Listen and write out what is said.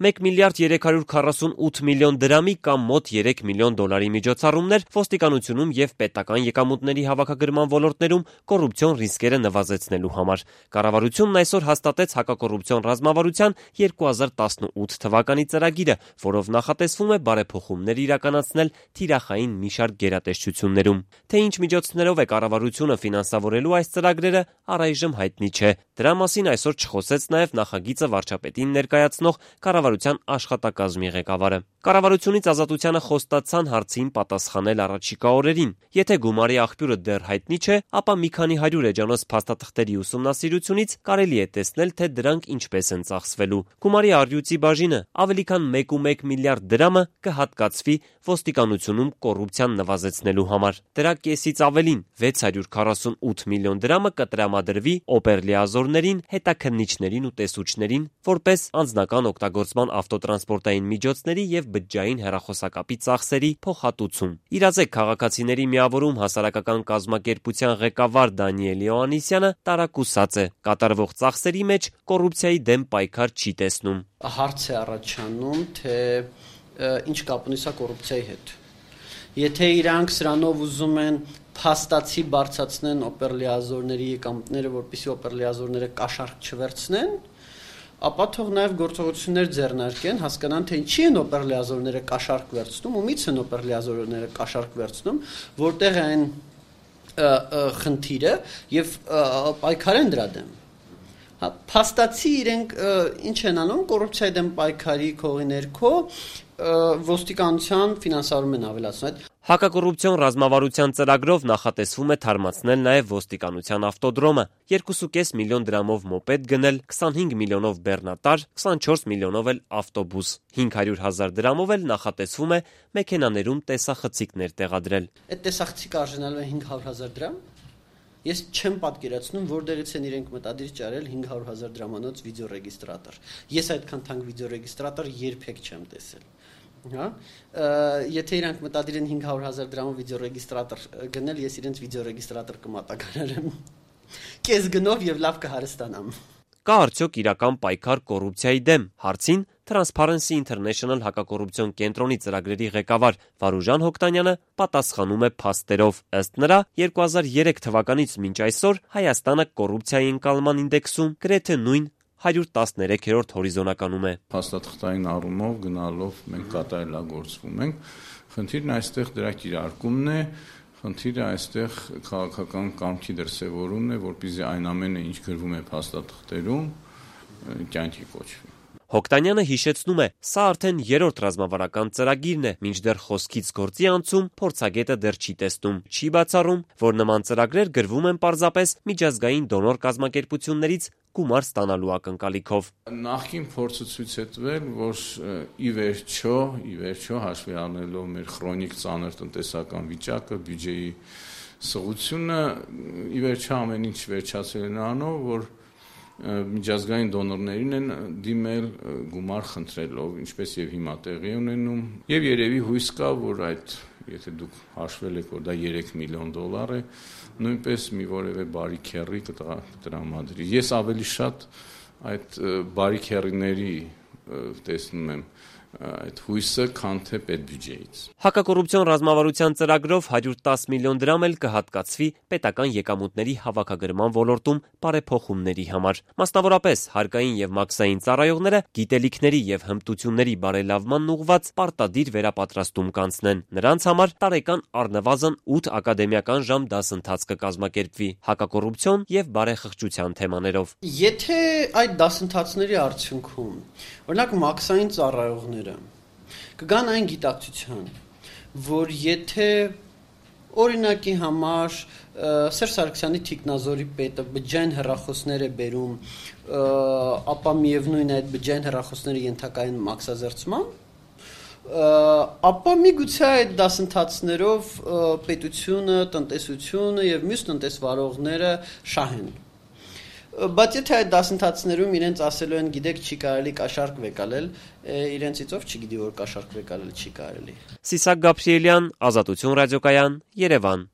1 միլիարդ 348 միլիոն դրամի կամ մոտ 3 միլիոն դոլարի միջոցառումներ ոստիկանությունում եւ պետական եկամուտների հավաքագրման ոլորտներում կոռուպցիոն ռիսկերը նվազեցնելու համար։ Կառավարությունն այսօր հաստատեց հակակոռուպցիոն ռազմավարության 2018 թվականի ծրագիրը, որով նախատեսվում է բարեփոխումներ իրականացնել թիրախային մի շարք գերատեսչություններում։ Թե ինչ միջոցներով է կառավարությունը ֆինանսավորելու այս ծրագրերը, առայժմ հայտնի չէ։ Դրա մասին այսօր չխոսեց նաև նախագիծը վարչապետին ներկայացնող կառավարության աշխատակազմի ղեկավարը։ Կառավարությունից Ազատությանը խոստացան հարցին պատասխանել առաջիկա օրերին։ Եթե գումարի աղբյուրը դեռ հայտնի չէ, ապա մի քանի 100 էջանոց փաստաթղթերի ուսումնասիրությունից կարելի է տեսնել, թե դրանք ինչպես են ծախսվելու։ Գումարի առյուծի բաժինը ավելի քան 1.1 միլիարդ դրամը կհատկացվի ոստիկանությունում կոռուպցիան նվազեցնելու համար։ Դրա կեսից ավելին 648 միլիոն դրամը կտրամադրվի օպերլիազորներին, հետաքննիչներին ու տեսուչներին, որպես անձնական օգտագործման ավտոտրանսպորտային միջոցների եւ բջջային հեռախոսակապի ծախսերի փոխհատուցում։ Իրազեկ քաղաքացիների միավորում հասարակական կազմակերպության ղեկավար Դանիել Իոաննիսյանը տարակուսած է։ Կատարվող ծախսերի մեջ կոռուպցիայի դեմ պայքար չի տեսնում։ Հարց է առաջանում, թե ինչ կապ ունի սա կոռուպցիայի հետ։ Եթե իրանք սրանով ուզում են փաստացի բարձրացնեն օպերլիազորների եկամուտները, որպեսզի օպերլիազորները կաշառք չվերցնեն, ապա թող նաև գործողություններ ձեռնարկեն, հասկանան, թե ինչի են օպերլիազորները կաշառք վերցնում, ումից են օպերլիազորները կաշառք վերցնում, որտեղ է այն խնդիրը եւ պայքարեն դրա դեմ։ Փաստացի իրենք ինչ են անում կոռուպցիայի դեմ պայքարի քողի ներքո ոստիկանության ֆինանսավորումն են ավելացնում։ Հակակոռուպցիոն ռազմավարության ծրագրով նախատեսվում է թարմացնել նաև ոստիկանության ավտոդրոմը, 2.5 միլիոն դրամով մոպեդ գնել, 25 միլիոնով բեռնատար, 24 միլիոնով էլ ավտոբուս, 500,000 դրամով էլ նախատեսվում է մեքենաներում տեսախցիկներ տեղադրել։ Այդ տեսախցիկը արժանալու է 500,000 դրամ։ Ես չեմ պատկերացնում, որտեղից են իրենք մտադիր ճարել 500,000 դրամանոց վիդեոռեգիստրատոր։ Ես այդքան թանկ վիդեոռեգիստրատոր երբեք չեմ տեսել։ Հա, եթե իրանք մտադիր են 500,000 դրամով վիդեոռեգիստրատոր գնել, ես իրենց վիդեոռեգիստրատոր կմատակարարեմ։ Կես գնով եւ լավ կհարստանամ։ Կա արդյոք իրական պայքար կոռուպցիայի դեմ։ Հարցին Transparency International հակակոռուպցիոն կենտրոնի ծրագրերի ղեկավար Վարուժան Հոկտանյանը պատասխանում է փաստերով։ Ըստ նրա, 2003 թվականից մինչ այսօր Հայաստանը կոռուպցիայի ընկալման ինդեքսում գրեթե նույն 113-րդ հորիզոնականում է։ Փաստաթղթային առումով գնալով մենք կատարելագործվում ենք։ Խնդիրն այստեղ դրա կիրարկումն է, խնդիրը այստեղ քաղաքական կամքի դրսևորումն է, որպեսզի այն ամենը, ինչ գրվում է փաստաթղթերում, կյանքի կոչվի։ Հոկտանյանը հիշեցնում է, սա արդեն 3-րդ ռազմավարական ծրագիրն է, մինչդեռ խոսքից գործի անցում փորձագետը դեռ չի տեսնում, չի բացառում, որ նման ծրագրեր գրվում են պարզապես միջազգային դոնոր կազմակերպություններից գումար ստանալու ակնկալիքով։ Նախկին փորձը ցույց է տվել, որ ի վերջո հաշվի առնելով մեր քրոնիկ ծանր տնտեսական վիճակը, բյուջեի սղությունը, ի վերջո ամեն ինչ վերջացել է նրանով, որ միջազգային դոնորներին են դիմել գումար խնդրելով, ինչպես եւ հիմա տեղի ունենում, եւ երևի հույս կա, որ այդ, եթե դուք հաշվել եք, որ դա 3 միլիոն դոլար է, նույնպես մի որևէ բարի քեռի կտրամադրի։ Ես ավելի շատ այդ բարի քեռիների տեսնում եմ այդ հույսը, քան թե պետբյուջեից։ Հակակոռուպցիոն ռազմավարության ծրագրով 110 միլիոն դրամ էլ կհատկացվի պետական եկամուտների հավաքագրման ոլորտում բարեփոխումների համար։ Մասնավորապես հարկային եւ մաքսային ծառայողները գիտելիքների եւ հմտությունների բարելավմանն ուղղված պարտադիր վերապատրաստում կանցնեն։ Նրանց համար տարեկան առնվազն 8 ակադեմիական ժամ դասընթաց կկազմակերպվի հակակոռուպցիոն եւ բարեխղճության թեմաներով։ Եթե այդ դասընթացների արդյունքում, օրինակ մաքսային ծառայողները կգան այն գիտակցության, որ եթե օրինակի համար Սերժ Սարգսյանի թիկնազորի պետը բջջային հեռախոսներ է բերում, ապա միևնույն է այդ բջջային հեռախոսները ենթակա են մաքսազերծման, ապա միգուցե այդ դասընթացներով պետությունը, տնտեսությունը եւ մյուս տնտեսվարողները շահեն։ Բայց եթե այդ դասընթացներում իրենց ասելու են, գիտեք, չի կարելի կաշառք վեկալել, իրենցից ով չգիտի, որ կաշառք վեկալել չի կարելի։ Սիսակ Գաբրիելյան, Ազատություն ռադիոկայան, Երևան։